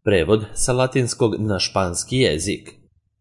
Prevod sa latinskog na španski jezik.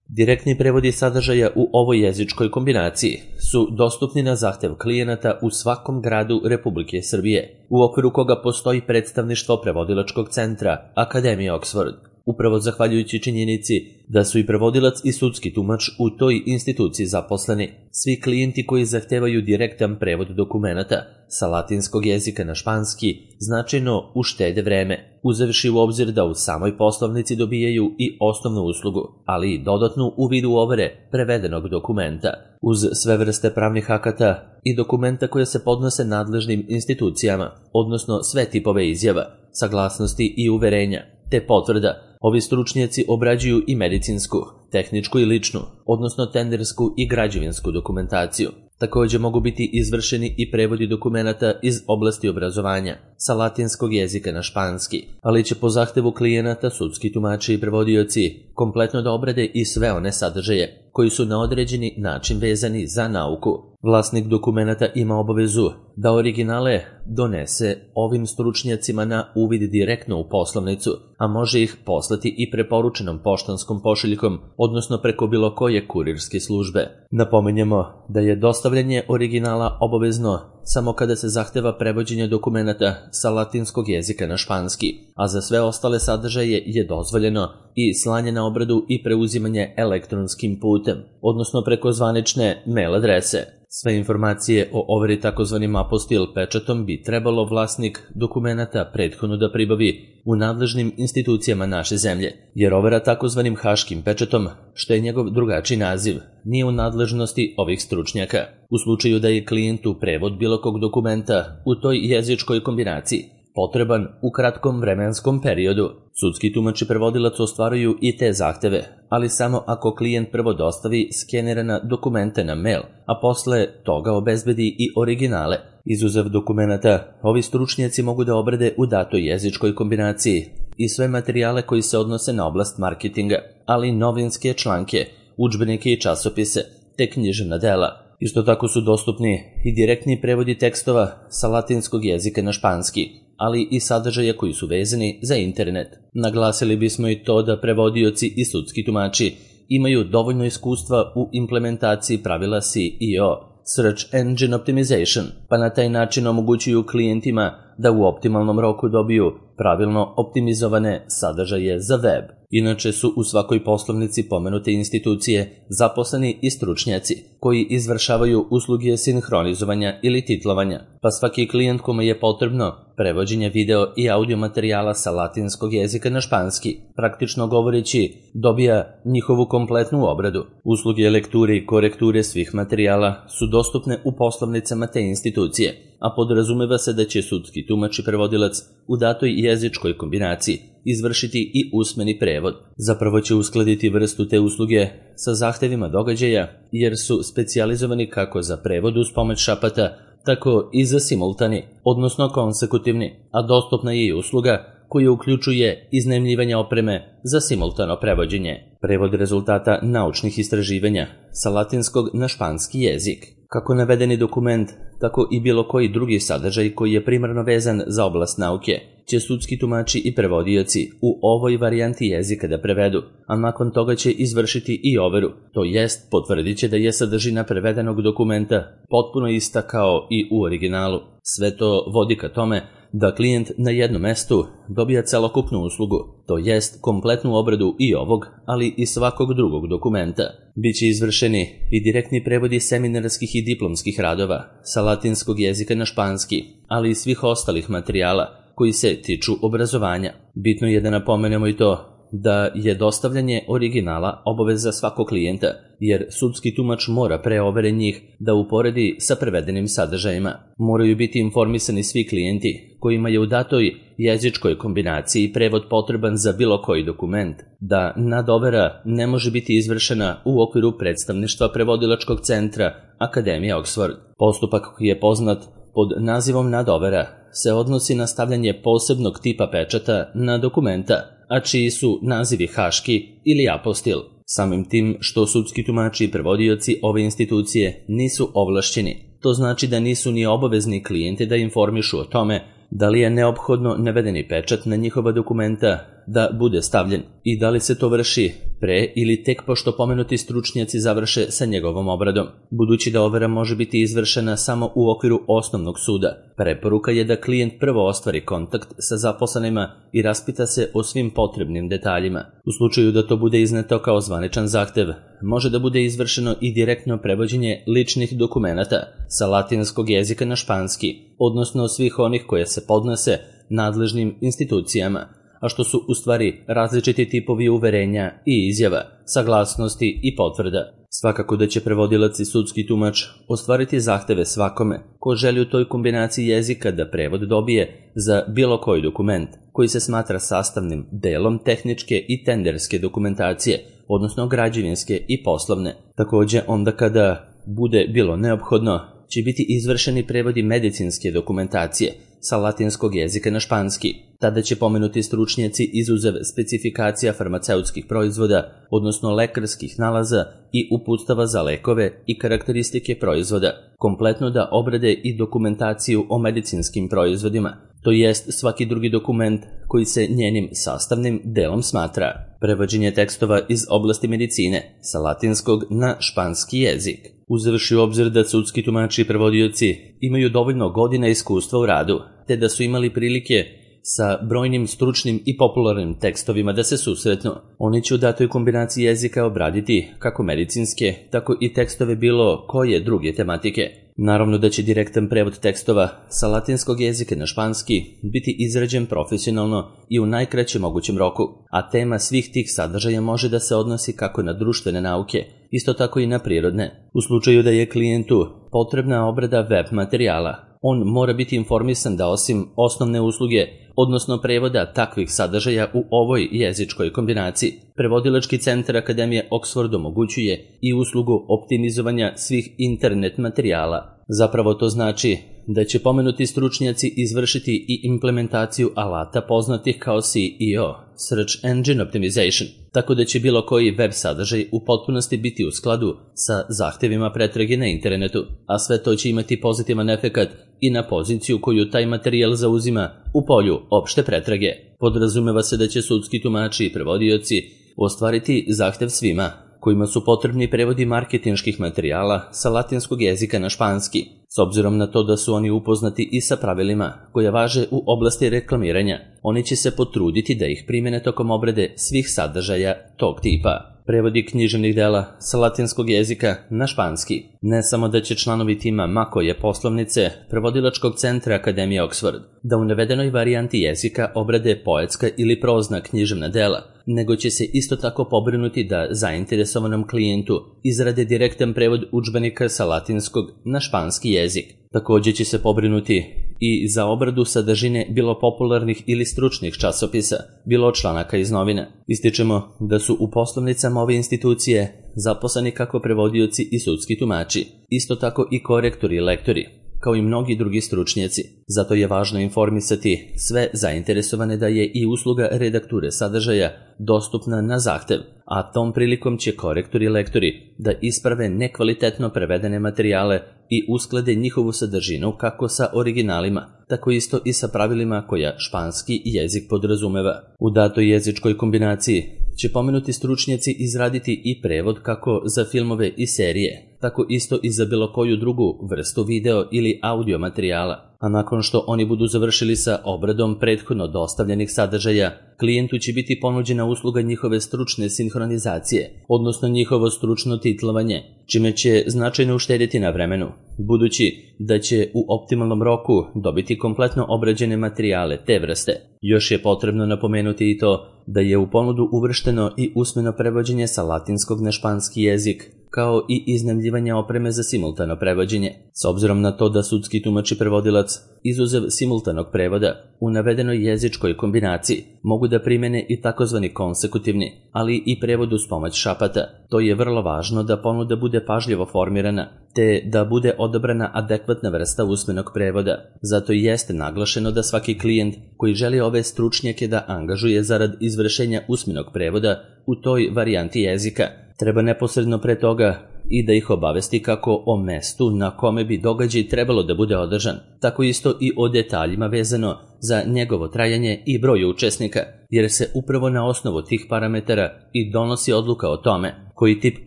Direktni prevodi sadržaja u ovoj jezičkoj kombinaciji su dostupni na zahtev klijenata u svakom gradu Republike Srbije, u okviru koga postoji predstavništvo prevodilačkog centra Akademije Oxford. Upravo zahvaljujući činjenici da su i prevodilac i sudski tumač u toj instituciji zaposleni, svi klijenti koji zahtevaju direktan prevod dokumenata sa latinskog jezika na španski značajno uštede vreme, uzevši u obzir da u samoj poslovnici dobijaju i osnovnu uslugu, ali i dodatnu u vidu overe prevedenog dokumenta, uz sve vrste pravnih akata i dokumenta koje se podnose nadležnim institucijama, odnosno sve tipove izjava, saglasnosti i uverenja, te potvrda. Ovi stručnjaci obrađuju i medicinsku, tehničku i ličnu, odnosno tendersku i građevinsku dokumentaciju. Također mogu biti izvršeni i prevodi dokumenata iz oblasti obrazovanja sa latinskog jezika na španski, ali će po zahtevu klijenata sudski tumači i prevodioci kompletno da obrade i sve one sadržaje koji su na određeni način vezani za nauku. Vlasnik dokumenata ima obavezu da originale donese ovim stručnjacima na uvid direktno u poslovnicu, a može ih poslati i preporučenom poštanskom pošiljkom, odnosno preko bilo koje kurirske službe. Napominjemo da je dostavljanje originala obavezno samo kada se zahteva prevođenje dokumenata sa latinskog jezika na španski, a za sve ostale sadržaje je dozvoljeno i slanje na obradu i preuzimanje elektronskim putem, odnosno preko zvanične mail adrese. Sve informacije o overi takozvanim apostil pečatom bi trebalo vlasnik dokumenata prethodno da pribavi u nadležnim institucijama naše zemlje, jer overa takozvanim haškim pečatom, što je njegov drugačiji naziv, nije u nadležnosti ovih stručnjaka. U slučaju da je klijentu prevod bilo kog dokumenta u toj jezičkoj kombinaciji potreban u kratkom vremenskom periodu, sudski tumač i prevodilac ostvaruju i te zahteve, ali samo ako klijent prvo dostavi skenirana dokumenta na mail, a posle toga obezbedi i originale. Izuzev dokumenata, ovi stručnjaci mogu da obrade u datoj jezičkoj kombinaciji i sve materijale koji se odnose na oblast marketinga, ali i novinske članke, udžbenike i časopise, te književna dela. Isto tako su dostupni i direktni prevodi tekstova sa latinskog jezika na španski, ali i sadržaja koji su vezani za internet. Naglasili bismo i to da prevodioci i sudski tumači imaju dovoljno iskustva u implementaciji pravila SEO, Search Engine Optimization, pa na taj način omogućuju klijentima da u optimalnom roku dobiju pravilno optimizovane sadržaje za web. Inače su u svakoj poslovnici pomenute institucije zaposleni i stručnjaci koji izvršavaju usluge sinhronizovanja ili titlovanja, pa svaki klijent kome je potrebno prevođenje video i audio materijala sa latinskog jezika na španski, praktično govoreći, dobija njihovu kompletnu obradu. Usluge lekture i korekture svih materijala su dostupne u poslovnicama te institucije, a podrazumeva se da će sudski tumač i prevodilac u datoj jezičkoj kombinaciji izvršiti i usmeni prevod. Zapravo će uskladiti vrstu te usluge sa zahtevima događaja, jer su specijalizovani kako za prevod uz pomoć šapata, tako i za simultani, odnosno konsekutivni, a dostupna je i usluga koja uključuje iznajmljivanje opreme za simultano prevođenje. Prevod rezultata naučnih istraživanja sa latinskog na španski jezik. Kako navedeni dokument, tako i bilo koji drugi sadržaj koji je primarno vezan za oblast nauke, će sudski tumači i prevodioci u ovoj varijanti jezika da prevedu, a nakon toga će izvršiti i overu, to jest potvrdit će da je sadržina prevedenog dokumenta potpuno ista kao i u originalu. Sve to vodi ka tome da klijent na jednom mestu dobija celokupnu uslugu, to jest kompletnu obradu i ovog, ali i svakog drugog dokumenta. Biće izvršeni i direktni prevodi seminarskih i diplomskih radova sa latinskog jezika na španski, ali i svih ostalih materijala koji se tiču obrazovanja. Bitno je da napomenemo i to da je dostavljanje originala obaveza svakog klijenta, jer sudski tumač mora pre overe njih da uporedi sa prevedenim sadržajima. Moraju biti informisani svi klijenti kojima je u datoj jezičkoj kombinaciji prevod potreban za bilo koji dokument, da nadovera ne može biti izvršena u okviru predstavništva prevodilačkog centra Akademije Oxford. Postupak koji je poznat pod nazivom nadovera se odnosi na stavljanje posebnog tipa pečata na dokumenta, a čiji su nazivi haški ili apostil. Samim tim što sudski tumači i prevodioci ove institucije nisu ovlašćeni, to znači da nisu ni obavezni klijente da informišu o tome da li je neophodno navedeni pečat na njihova dokumenta da bude stavljen i da li se to vrši pre ili tek pošto pomenuti stručnjaci završe sa njegovom obradom. Budući da overa može biti izvršena samo u okviru osnovnog suda, preporuka je da klijent prvo ostvari kontakt sa zaposlenima i raspita se o svim potrebnim detaljima. U slučaju da to bude izneto kao zvaničan zahtev, može da bude izvršeno i direktno prevođenje ličnih dokumenata sa latinskog jezika na španski, odnosno svih onih koje se podnose nadležnim institucijama, a što su u stvari različiti tipovi uverenja i izjava, saglasnosti i potvrda. Svakako da će prevodilac i sudski tumač ostvariti zahteve svakome ko želi u toj kombinaciji jezika da prevod dobije za bilo koji dokument koji se smatra sastavnim delom tehničke i tenderske dokumentacije, odnosno građevinske i poslovne. Takođe, onda kada bude bilo neophodno, će biti izvršeni prevodi medicinske dokumentacije sa latinskog jezika na španski. Tada će pomenuti stručnjaci izuzev specifikacija farmaceutskih proizvoda, odnosno lekarskih nalaza i uputstava za lekove i karakteristike proizvoda, kompletno da obrade i dokumentaciju o medicinskim proizvodima, to jest svaki drugi dokument koji se njenim sastavnim delom smatra. Prevođenje tekstova iz oblasti medicine sa latinskog na španski jezik. Uzevši u obzir da sudski tumači i prevodioci imaju dovoljno godina iskustva u radu, te da su imali prilike sa brojnim stručnim i popularnim tekstovima da se susretnu, oni će u datoj kombinaciji jezika obraditi kako medicinske, tako i tekstove bilo koje druge tematike. Naravno da će direktan prevod tekstova sa latinskog jezika na španski biti izrađen profesionalno i u najkraćem mogućem roku, a tema svih tih sadržaja može da se odnosi kako na društvene nauke, isto tako i na prirodne. U slučaju da je klijentu potrebna obrada web materijala, on mora biti informisan da osim osnovne usluge, odnosno prevoda takvih sadržaja u ovoj jezičkoj kombinaciji, prevodilački centar Akademije Oxford omogućuje i uslugu optimizovanja svih internet materijala. Zapravo to znači da će pomenuti stručnjaci izvršiti i implementaciju alata poznatih kao SEO, Search Engine Optimization, tako da će bilo koji web sadržaj u potpunosti biti u skladu sa zahtevima pretrage na internetu, a sve to će imati pozitivan efekat i na poziciju koju taj materijal zauzima u polju opšte pretrage. Podrazumeva se da će sudski tumači i prevodioci ostvariti zahtev svima kojima su potrebni prevodi marketinških materijala sa latinskog jezika na španski, s obzirom na to da su oni upoznati i sa pravilima koja važe u oblasti reklamiranja. Oni će se potruditi da ih primene tokom obrade svih sadržaja tog tipa. Prevodi književnih dela sa latinskog jezika na španski. Ne samo da će članovi tima Makoje poslovnice prevodilačkog centra Akademije Oxford da u navedenoj varijanti jezika obrade poetska ili prozna književna dela, nego će se isto tako pobrinuti da zainteresovanom klijentu izrade direktan prevod udžbenika sa latinskog na španski jezik. Takođe će se pobrinuti i za obradu sadržine bilo popularnih ili stručnih časopisa, bilo članaka iz novina. Ističemo da su u poslovnicama ove institucije zaposleni kako prevodioci i sudski tumači, isto tako i korektori i lektori, kao i mnogi drugi stručnjaci. Zato je važno informisati sve zainteresovane da je i usluga redakture sadržaja dostupna na zahtev, a tom prilikom će korektori i lektori da isprave nekvalitetno prevedene materijale i usklade njihovu sadržinu kako sa originalima, tako isto i sa pravilima koja španski jezik podrazumeva. U datoj jezičkoj kombinaciji će pomenuti stručnjaci izraditi i prevod kako za filmove i serije, tako isto i za bilo koju drugu vrstu video ili audio materijala. A nakon što oni budu završili sa obradom prethodno dostavljenih sadržaja, klijentu će biti ponuđena usluga njihove stručne sinhronizacije, odnosno njihovo stručno titlovanje, čime će značajno uštedjeti na vremenu, budući da će u optimalnom roku dobiti kompletno obrađene materijale te vrste. Još je potrebno napomenuti i to da je u ponudu uvršteno i usmeno prevođenje sa latinskog na španski jezik, kao i iznajmljivanje opreme za simultano prevođenje. S obzirom na to da sudski tumač i prevodilac, izuzev simultanog prevoda, u navedenoj jezičkoj kombinaciji mogu da primene i takozvani konsekutivni, ali i prevod uz pomoć šapata. To je vrlo važno da ponuda bude pažljivo formirana, te da bude odabrana adekvatna vrsta usmenog prevoda. Zato i jeste naglašeno da svaki klijent koji želi ove stručnjake da angažuje zarad izvršenja usmenog prevoda u toj varijanti jezika, treba neposredno pre toga i da ih obavesti kako o mestu na kome bi događaj trebalo da bude održan, tako isto i o detaljima vezano za njegovo trajanje i broj učesnika, jer se upravo na osnovu tih parametara i donosi odluka o tome koji tip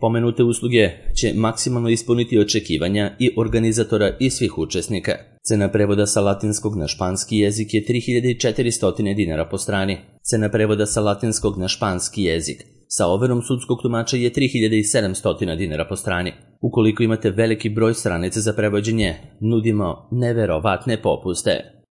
pomenute usluge će maksimalno ispuniti očekivanja i organizatora i svih učesnika. Cena prevoda sa latinskog na španski jezik je 3400 dinara po strani. Cena prevoda sa latinskog na španski jezik sa overom sudskog tumača je 3700 dinara po strani. Ukoliko imate veliki broj stranica za prevođenje, nudimo neverovatne popuste.